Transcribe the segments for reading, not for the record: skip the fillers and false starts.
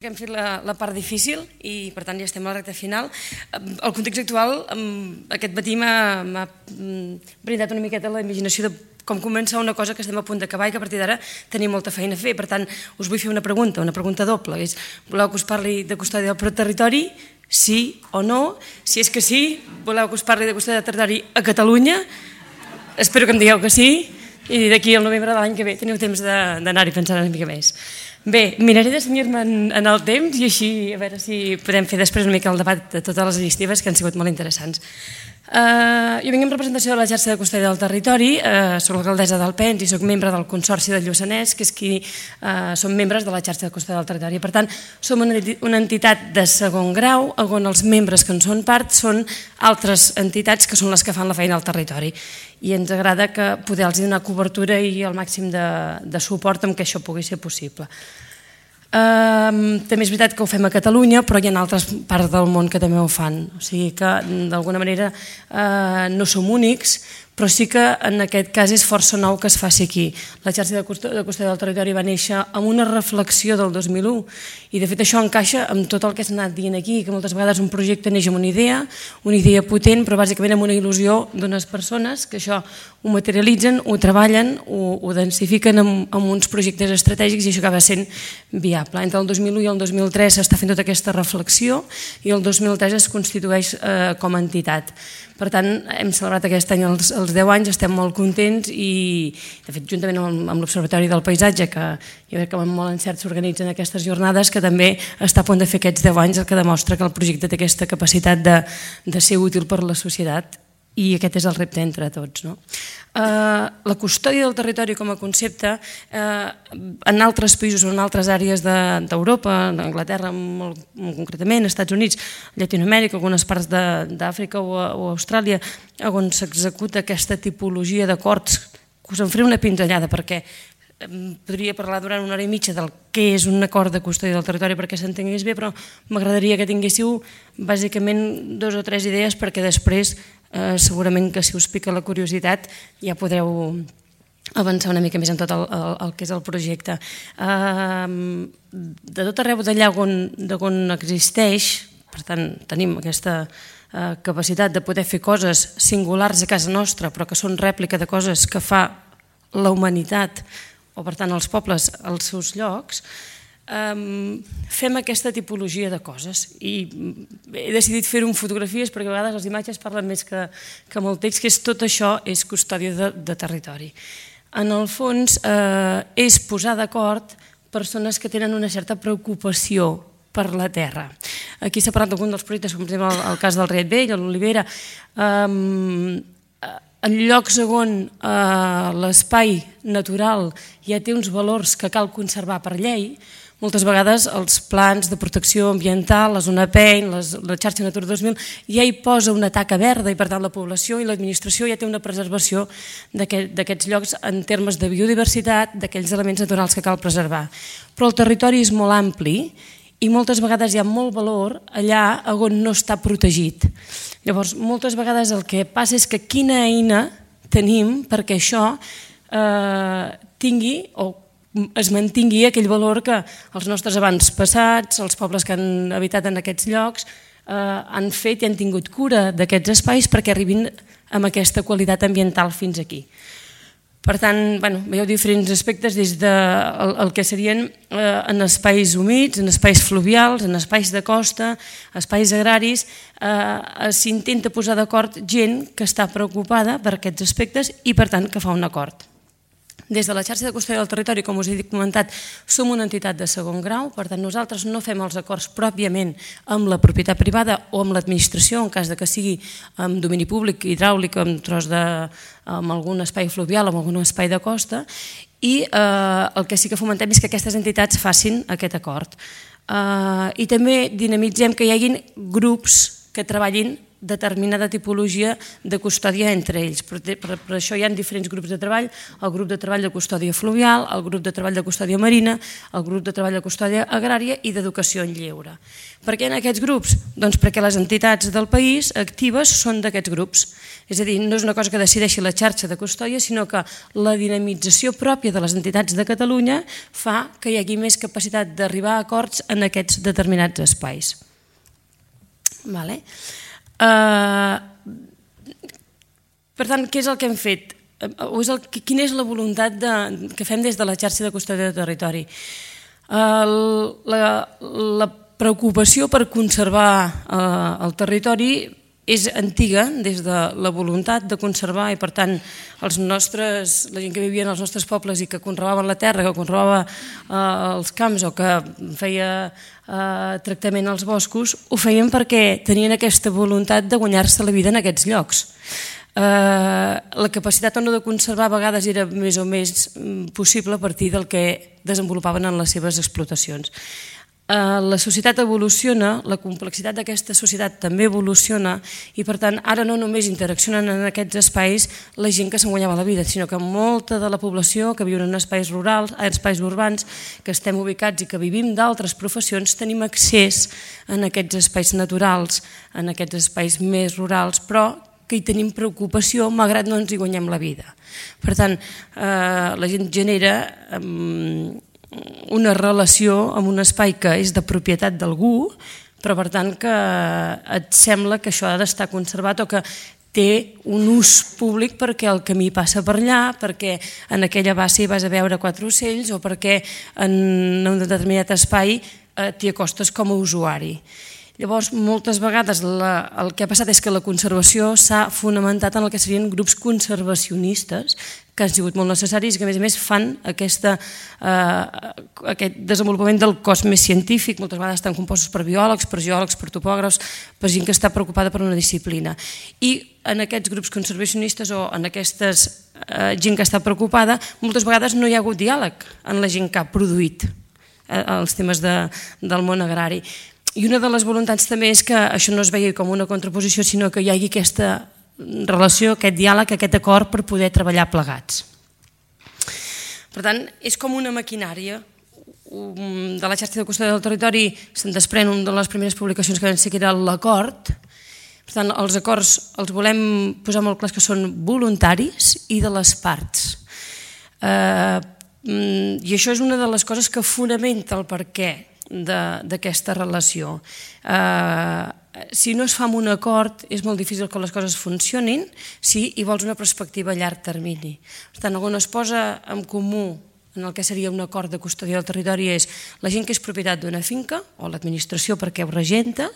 Hem fet la part difícil i per tant ja estem a la recta final. El context actual aquest matí m'ha brindat una miqueta la imaginació de com començar una cosa que estem a punt d'acabar i que a partir d'ara tenim molta feina a fer. Per tant, us vull fer una pregunta doble. Voleu que us parli de custòdia del territori? Sí o no? Si és que sí, voleu que us parli de custòdia del territori a Catalunya? Espero que em digueu que sí i d'aquí al novembre de l'any que ve teniu temps d'anar-hi pensant una mica més. Bé, miraré de cenyir-me en el temps i així a veure si podem fer després una mica el debat de totes les iniciatives que han sigut molt interessants. Jo vinc en representació de la xarxa de custòdia del territori, soc l'alcaldessa d'Alpens i soc membre del Consorci del Lluçanès, que és qui som membres de la xarxa de custòdia del territori. Per tant, som una entitat de segon grau on els membres que en són part són altres entitats que són les que fan la feina al territori. I ens agrada poder-los donar cobertura i el màxim de suport amb què això pugui ser possible. També és veritat que ho fem a Catalunya, però hi ha altres parts del món que també ho fan. O sigui que d'alguna manera no som únics, però sí que en aquest cas és força nou que es faci aquí. La xarxa de custòdia del territori va néixer amb una reflexió del 2001 i de fet això encaixa amb tot el que s'ha anat dient aquí, que moltes vegades un projecte neix amb una idea potent, però bàsicament amb una il·lusió d'unes persones que això ho materialitzen, ho treballen, ho densifiquen amb uns projectes estratègics i això acaba sent viable. Entre el 2001 i el 2003 s'està fent tota aquesta reflexió i el 2003 es constitueix com a entitat. Per tant, hem celebrat aquest any els 10 anys, estem molt contents i, de fet, juntament amb l'Observatori del Paisatge, que jo crec que amb molt encert s'organitzen aquestes jornades, que també està a punt de fer aquests 10 anys, el que demostra que el projecte té aquesta capacitat de ser útil per a la societat i aquest és el repte entre tots. La custòdia del territori com a concepte en altres països o en altres àrees d'Europa, d'Anglaterra molt concretament, Estats Units, Llatinoamèrica, algunes parts d'Àfrica o Austràlia, on s'executa aquesta tipologia d'acords, que us en faré una pinzellada perquè podria parlar durant una hora i mitja del què és un acord de custòdia del territori perquè s'entengués bé, però m'agradaria que tinguéssiu bàsicament 2 o 3 idees perquè després segurament que si us pica la curiositat ja podreu avançar una mica més en tot el que és el projecte. De tot arreu d'allà on existeix, per tant tenim aquesta capacitat de poder fer coses singulars a casa nostra però que són rèplica de coses que fa la humanitat o per tant els pobles als seus llocs, fem aquesta tipologia de coses i he decidit fer-ho amb fotografies perquè a vegades les imatges parlen més que amb el text, que és tot això és custòdia de territori. En el fons és posar d'acord persones que tenen una certa preocupació per la terra. Aquí s'ha parlat d'algun dels projectes, com per exemple el cas del Riet Vell, l'Olivera, en llocs on l'espai natural ja té uns valors que cal conservar per llei, moltes vegades els plans de protecció ambiental, la zona PEN, la xarxa Natura 2000, ja hi posa una taca verda i per tant la població i l'administració ja té una preservació d'aquests llocs en termes de biodiversitat, d'aquells elements naturals que cal preservar. Però el territori és molt ampli i moltes vegades hi ha molt valor allà on no està protegit. Llavors, moltes vegades el que passa és que quina eina tenim perquè això tingui o es mantingui aquell valor que els nostres avantpassats, els pobles que han habitat en aquests llocs, han fet i han tingut cura d'aquests espais perquè arribin amb aquesta qualitat ambiental fins aquí. Per tant, veieu diferents aspectes des del que serien en espais humits, en espais fluvials, en espais de costa, espais agraris, s'intenta posar d'acord gent que està preocupada per aquests aspectes i per tant que fa un acord. Des de la xarxa de custòdia del territori, com us he comentat, som una entitat de segon grau, per tant nosaltres no fem els acords pròpiament amb la propietat privada o amb l'administració, en cas que sigui amb domini públic, hidràulic, amb algun espai fluvial o amb algun espai de costa, i el que sí que fomentem és que aquestes entitats facin aquest acord. I també dinamitzem que hi hagin grups que treballin determinada tipologia de custòdia entre ells. Per això hi ha diferents grups de treball, el grup de treball de custòdia fluvial, el grup de treball de custòdia marina, el grup de treball de custòdia agrària i d'educació en lleure. Per què en aquests grups? Doncs perquè les entitats del país actives són d'aquests grups. És a dir, no és una cosa que decideixi la xarxa de custòdia, sinó que la dinamització pròpia de les entitats de Catalunya fa que hi hagi més capacitat d'arribar a acords en aquests determinats espais. Per tant, què és el que hem fet? Quina és la voluntat que fem des de la xarxa de custòdia de territori? La preocupació per conservar el territori és antiga, des de la voluntat de conservar, i per tant la gent que vivia en els nostres pobles i que conreaven la terra, que conreava els camps o que feia tractament als boscos, ho feien perquè tenien aquesta voluntat de guanyar-se la vida en aquests llocs. La capacitat o no de conservar a vegades era més o més possible a partir del que desenvolupaven en les seves explotacions. La societat evoluciona, la complexitat d'aquesta societat també evoluciona i per tant ara no només interaccionen en aquests espais la gent que se'n guanyava la vida, sinó que molta de la població que viu en espais rurals, en espais urbans, que estem ubicats i que vivim d'altres professions, tenim accés en aquests espais naturals, en aquests espais més rurals, però que hi tenim preocupació malgrat no ens hi guanyem la vida. Per tant, la gent genera una relació amb un espai que és de propietat d'algú, però per tant que et sembla que això ha d'estar conservat o que té un ús públic perquè el camí passa per allà, perquè en aquella bassa hi vas a veure 4 ocells o perquè en un determinat espai t'hi acostes com a usuari. Llavors, moltes vegades el que ha passat és que la conservació s'ha fonamentat en el que serien grups conservacionistes, que han sigut molt necessaris i que a més fan aquest desenvolupament del cos més científic. Moltes vegades estan compostos per biòlegs, per geòlegs, per topògrafs, per gent que està preocupada per una disciplina. I en aquests grups conservacionistes o en aquesta gent que està preocupada, moltes vegades no hi ha hagut diàleg en la gent que ha produït els temes del món agrari. I una de les voluntats també és que això no es vegi com una contraposició, sinó que hi hagi aquesta relació, aquest diàleg, aquest acord per poder treballar plegats. Per tant, és com una maquinària. De la xarxa de custòdia del territori se'n desprèn una de les primeres publicacions que van ser, que era l'acord. Per tant, els acords els volem posar molt clars que són voluntaris i de les parts. I això és una de les coses que fonamenta el perquè d'aquesta relació. Si no es fa amb un acord és molt difícil que les coses funcionin si hi vols una perspectiva a llarg termini. Per tant, on es posa en comú en el que seria un acord de custòdia del territori és la gent que és propietat d'una finca o l'administració perquè ho regenta,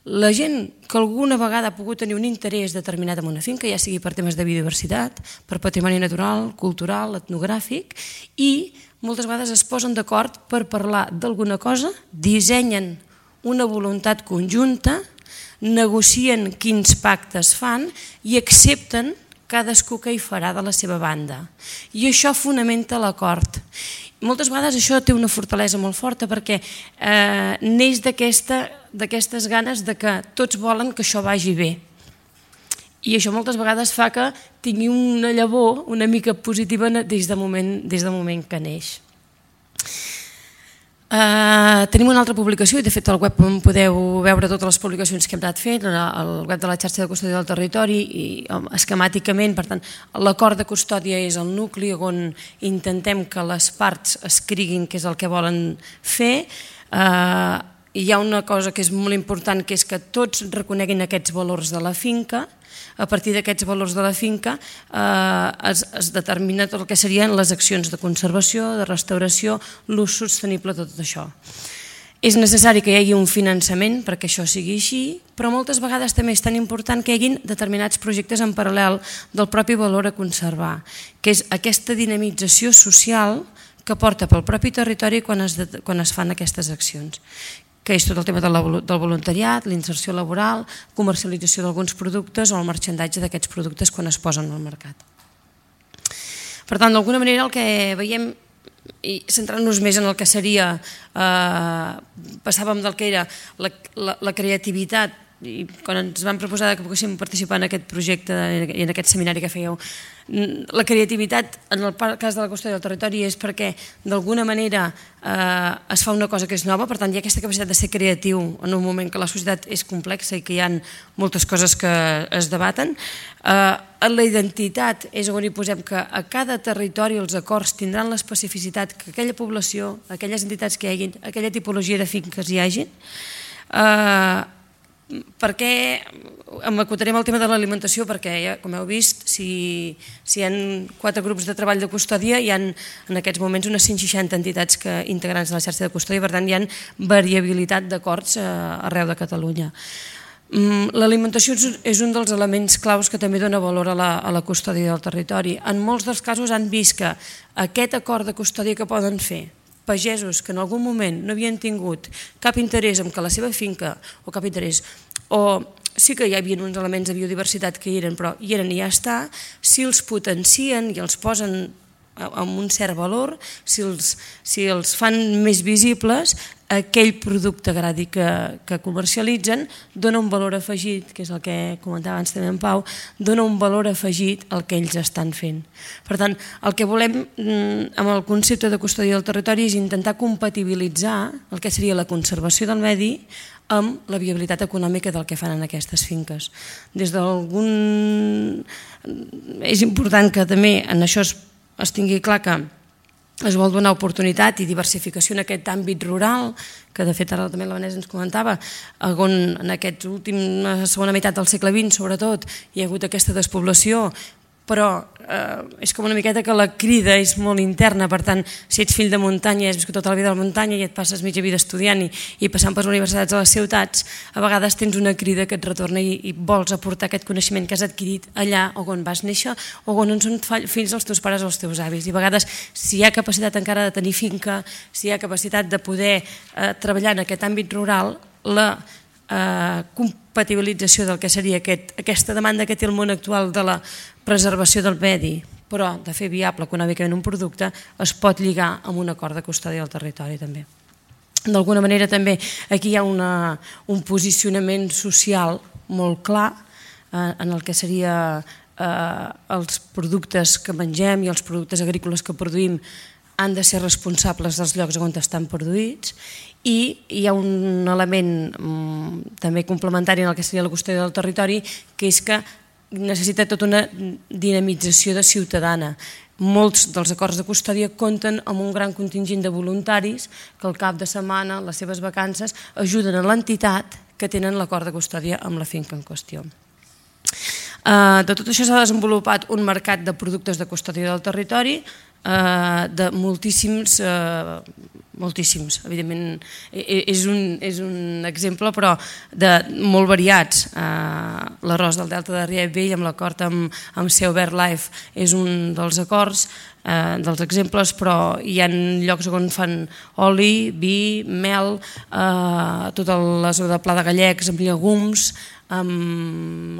la gent que alguna vegada ha pogut tenir un interès determinat en una finca, ja sigui per temes de biodiversitat, per patrimoni natural, cultural, etnogràfic, i moltes vegades es posen d'acord per parlar d'alguna cosa, dissenyen una voluntat conjunta, negocien quins pactes fan i accepten cadascú que hi farà de la seva banda. I això fonamenta l'acord. Moltes vegades això té una fortalesa molt forta perquè neix d'aquestes ganes de que tots volen que això vagi bé. I això moltes vegades fa que tingui una llavor una mica positiva des del moment que neix. Tenim una altra publicació i de fet al web podeu veure totes les publicacions que hem anat fent, al web de la xarxa de custòdia del territori i esquemàticament, per tant l'acord de custòdia és el nucli on intentem que les parts escriguin què és el que volen fer. Hi ha una cosa que és molt important, que és que tots reconeguin aquests valors de la finca. A partir d'aquests valors de la finca es determina tot el que serien les accions de conservació, de restauració, l'ús sostenible, tot això. És necessari que hi hagi un finançament perquè això sigui així, però moltes vegades també és tan important que hi hagin determinats projectes en paral·lel del propi valor a conservar, que és aquesta dinamització social que porta pel propi territori quan es fan aquestes accions, que és tot el tema del voluntariat, l'inserció laboral, comercialització d'alguns productes o el marxandatge d'aquests productes quan es posen al mercat. Per tant, d'alguna manera el que veiem, i centrant-nos més en el que seria, passàvem del que era la creativitat i quan ens van proposar que poguéssim participar en aquest projecte i en aquest seminari que fèieu, la creativitat en el cas de la qüestió del territori és perquè d'alguna manera es fa una cosa que és nova, per tant hi ha aquesta capacitat de ser creatiu en un moment que la societat és complexa i que hi ha moltes coses que es debaten. La identitat és on hi posem que a cada territori els acords tindran l'especificitat que aquella població, aquelles entitats que hi hagin, aquella tipologia de finques hi hagin. Perquè m'acotarem el tema de l'alimentació, perquè com heu vist, si hi ha 4 grups de treball de custòdia, hi ha en aquests moments unes 160 entitats integrants de la xarxa de custòdia, per tant hi ha variabilitat d'acords arreu de Catalunya. L'alimentació és un dels elements claus que també dona valor a la custòdia del territori. En molts dels casos han vist que aquest acord de custòdia que poden fer pagesos que en algun moment no havien tingut cap interès en que la seva finca, o cap interès, o sí que hi havia uns elements de biodiversitat que hi eren, però hi eren i ja està, si els potencien i els posen amb un cert valor, si els fan més visibles, aquell producte agrari que comercialitzen dona un valor afegit, que és el que comentava abans també en Pau, dona un valor afegit al que ells estan fent. Per tant, el que volem amb el concepte de custòdia del territori és intentar compatibilitzar el que seria la conservació del medi amb la viabilitat econòmica del que fan en aquestes finques. És important que també en això es tingui clar que es vol donar oportunitat i diversificació en aquest àmbit rural, que de fet ara també la Vanessa ens comentava, on en aquesta última segona meitat del segle XX sobretot hi ha hagut aquesta despoblació, però és com una miqueta que la crida és molt interna, per tant, si ets fill de muntanya i has viscut tota la vida a la muntanya i et passes mitja vida estudiant i passant per les universitats a les ciutats, a vegades tens una crida que et retorna i vols aportar aquest coneixement que has adquirit allà on vas néixer o on són fills els teus pares o els teus avis. I a vegades, si hi ha capacitat encara de tenir finca, si hi ha capacitat de poder treballar en aquest àmbit rural, la compatibilització del que seria aquesta demanda que té el món actual de la preservació del medi, però de fer viable econòmicament un producte, es pot lligar amb un acord de custòdia del territori també. D'alguna manera també aquí hi ha un posicionament social molt clar en el que seria els productes que mengem i els productes agrícoles que produïm han de ser responsables dels llocs on estan produïts, i hi ha un element també complementari en el que seria la custòdia del territori, que és que necessita tota una dinamització de ciutadana. Molts dels acords de custòdia compten amb un gran contingent de voluntaris que al cap de setmana, les seves vacances, ajuden a l'entitat que tenen l'acord de custòdia amb la finca en qüestió. De tot això s'ha desenvolupat un mercat de productes de custòdia del territori de moltíssims, evidentment és un exemple, però de molt variats. L'arròs del Delta de Riet Vell amb l'acord amb Seu BirdLife és un dels acords, dels exemples, però hi ha llocs on fan oli, vi, mel, tota la zona de Pla de Gallecs amb llegums, amb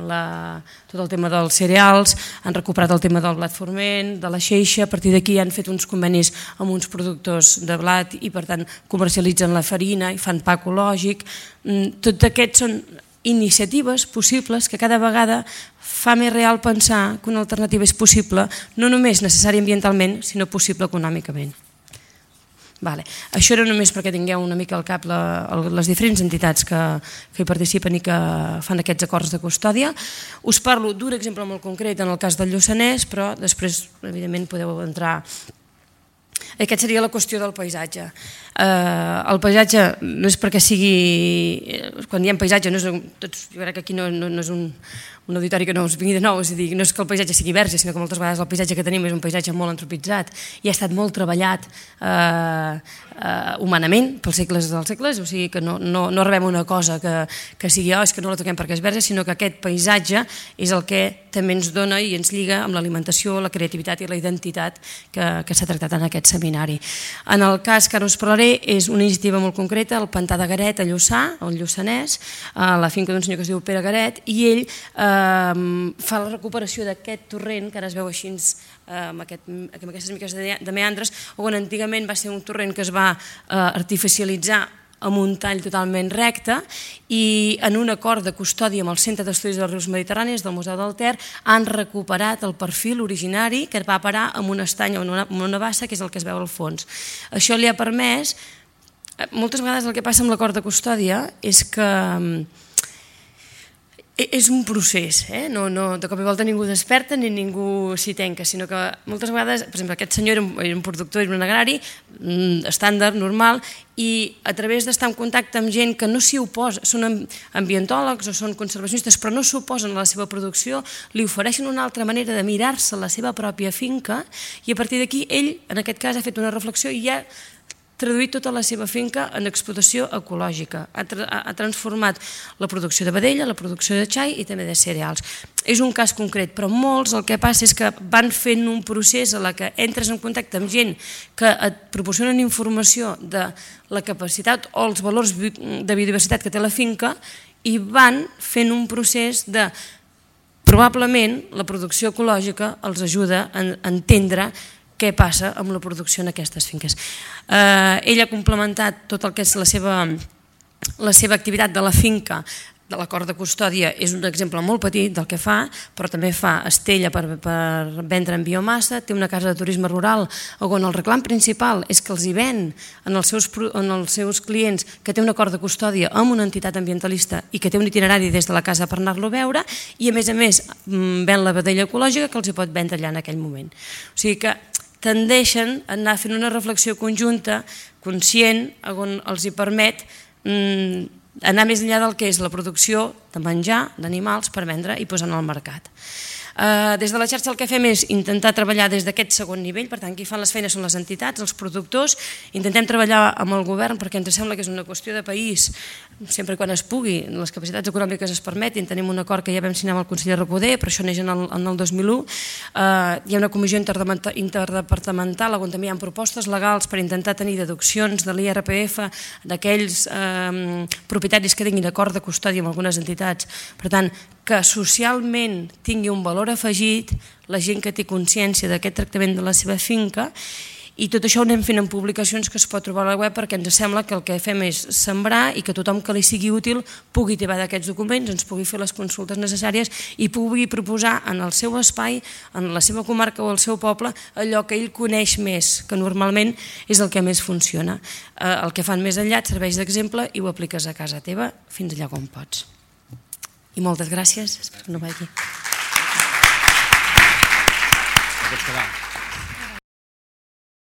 tot el tema dels cereals, han recuperat el tema del blat forment, de la xeixa, a partir d'aquí han fet uns convenis amb uns productors de blat i per tant comercialitzen la farina i fan pa ecològic. Tots aquests són iniciatives possibles que cada vegada fa més real pensar que una alternativa és possible, no només necessària ambientalment, sinó possible econòmicament. Això era només perquè tingueu una mica al cap les diferents entitats que hi participen i que fan aquests acords de custòdia. Us parlo d'un exemple molt concret en el cas del Lluçanès, però després evidentment podeu entrar. Aquesta seria la qüestió del paisatge. El paisatge no és perquè sigui... Quan diem paisatge, jo crec que aquí no és un auditori que no us vingui de nou, és a dir, no és que el paisatge sigui verge, sinó que moltes vegades el paisatge que tenim és un paisatge molt antropitzat i ha estat molt treballat humanament pels segles dels segles, o sigui que no rebem una cosa que sigui és que no la toquem perquè és verge, sinó que aquest paisatge és el que també ens dona i ens lliga amb l'alimentació, la creativitat i la identitat que s'ha tractat en aquest seminari. En el cas que ara us parlaré és una iniciativa molt concreta, el Pantà de Garet a Lluçà, al Lluçanès, a la finca d'un senyor que es diu Pere Garet, i ell fa la recuperació d'aquest torrent, que ara es veu així amb aquestes miques de meandres, on antigament va ser un torrent que es va artificialitzar amb un tall totalment recte, i en un acord de custòdia amb el Centre d'Estudis dels Rius Mediterranis del Museu del Ter han recuperat el perfil originari que va parar en un estany o en una bassa, que és el que es veu al fons. Això li ha permès, moltes vegades el que passa amb l'acord de custòdia és que és un procés, no de cop i volta ningú desperta ni ningú s'hi tanca, sinó que moltes vegades, per exemple, aquest senyor era un productor, era un agrari estàndard, normal, i a través d'estar en contacte amb gent que no s'hi oposa, són ambientòlegs o són conservacionistes, però no s'oposen a la seva producció, li ofereixen una altra manera de mirar-se la seva pròpia finca, i a partir d'aquí ell, en aquest cas, ha fet una reflexió i ja traduït tota la seva finca en explotació ecològica. Ha transformat la producció de vedella, la producció de xai i també de cereals. És un cas concret, però molts el que passa és que van fent un procés en què entres en contacte amb gent que et proporcionen informació de la capacitat o els valors de biodiversitat que té la finca i van fent un procés de... Probablement la producció ecològica els ajuda a entendre què passa amb la producció en aquestes finques. Ell ha complementat tot el que és la seva activitat de la finca, de l'acord de custòdia, és un exemple molt petit del que fa, però també fa estella per vendre en biomassa, té una casa de turisme rural on el reclam principal és que els hi ven en els seus clients que té un acord de custòdia amb una entitat ambientalista i que té un itinerari des de la casa per anar-lo a veure, i a més ven la vedella ecològica que els hi pot vendre allà en aquell moment. O sigui que tendeixen a anar fent una reflexió conjunta, conscient, on els hi permet anar més enllà del que és la producció de menjar d'animals per vendre i posar al mercat. Des de la xarxa el que fem és intentar treballar des d'aquest segon nivell, per tant, qui fan les feines són les entitats, els productors, intentem treballar amb el govern perquè ens sembla que és una qüestió de país, sempre quan es pugui, les capacitats econòmiques es permetin, tenim un acord que ja vam signar amb el conseller Recoder, però això neix en el 2001, hi ha una comissió interdepartamental on també hi ha propostes legals per intentar tenir deduccions de l'IRPF d'aquells propietaris que tinguin acord de custòdia amb algunes entitats, per tant, que socialment tingui un valor afegit la gent que té consciència d'aquest tractament de la seva finca, i tot això ho anem fent en publicacions que es pot trobar a la web perquè ens sembla que el que fem és sembrar i que tothom que li sigui útil pugui tibar d'aquests documents, ens pugui fer les consultes necessàries i pugui proposar en el seu espai, en la seva comarca o el seu poble, allò que ell coneix més, que normalment és el que més funciona. El que fan més enllà et serveix d'exemple i ho apliques a casa teva fins allà com pots. I moltes gràcies, espero que no vagi.